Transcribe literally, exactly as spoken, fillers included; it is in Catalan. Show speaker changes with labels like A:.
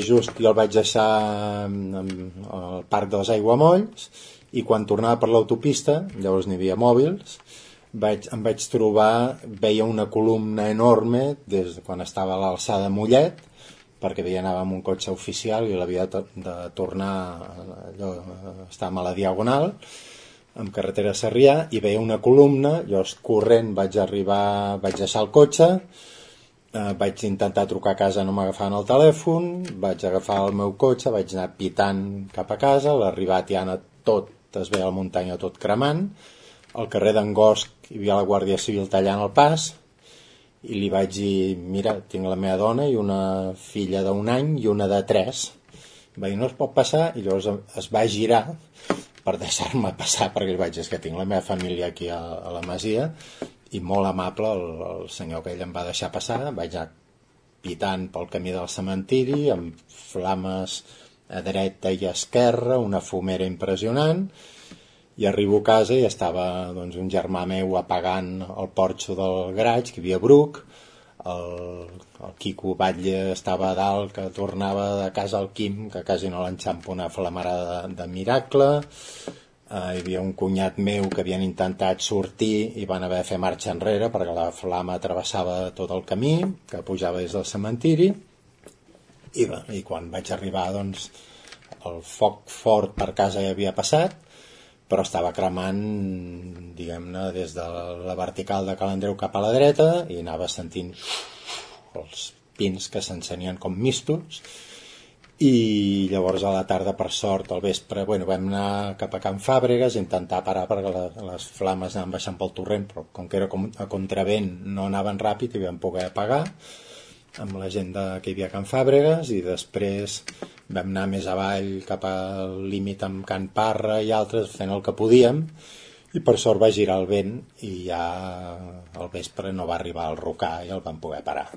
A: just jo el vaig deixar al parc dels Aiguamolls i quan tornava per l'autopista, llavors n'hi havia mòbils, vaig, em vaig trobar, veia una columna enorme des de quan estava a l'alçada de Mollet, perquè havia anava amb un cotxe oficial i l'havia de, de tornar, allò, estàvem a la Diagonal, amb carretera Sarrià, i veia una columna, llavors corrent vaig arribar, vaig deixar el cotxe, eh, vaig intentar trucar a casa, no m'agafaven el telèfon, vaig agafar el meu cotxe, vaig anar pitant cap a casa, a l'arribar a Tiana tot, es veia la muntanya tot cremant, al carrer d'en Gosc hi havia la Guàrdia Civil tallant el pas, i li vaig dir, mira, tinc la meva dona i una filla d'un any i una de tres. Va dir, no es pot passar, i llavors es va girar per deixar-me passar, perquè li vaig dir, és que tinc la meva família aquí a, a la Masia, i molt amable el, el senyor que ell em va deixar passar, vaig anar pitant pel camí del cementiri, amb flames a dreta i a esquerra, una fumera impressionant, i arribo a casa i estava doncs, un germà meu apagant el porxo del garatge, que hi havia bruc, el, el Quico Batlle estava a dalt, que tornava de casa al Quim, que quasi no l'enxampa una flamarada de, de miracle, eh, hi havia un cunyat meu que havien intentat sortir i van haver de fer marxa enrere perquè la flama travessava tot el camí, que pujava des del cementiri, i, bé, i quan vaig arribar doncs, el foc fort per casa ja havia passat, però estava cremant, diguem-ne, des de la vertical de Cal Andreu cap a la dreta i anava sentint els pins que s'encenien com mistos. I llavors a la tarda, per sort, al vespre, bueno, vam anar cap a Can Fàbregas, intentar parar perquè les flames anaven baixant pel torrent, però com que era a contravent no anaven ràpid i vam poder apagar amb la gent de, que hi havia a Can Fàbregas, i després vam anar més avall cap al límit amb Can Parra i altres fent el que podíem, i per sort va girar el vent i ja al vespre no va arribar el rocar i el vam poder parar.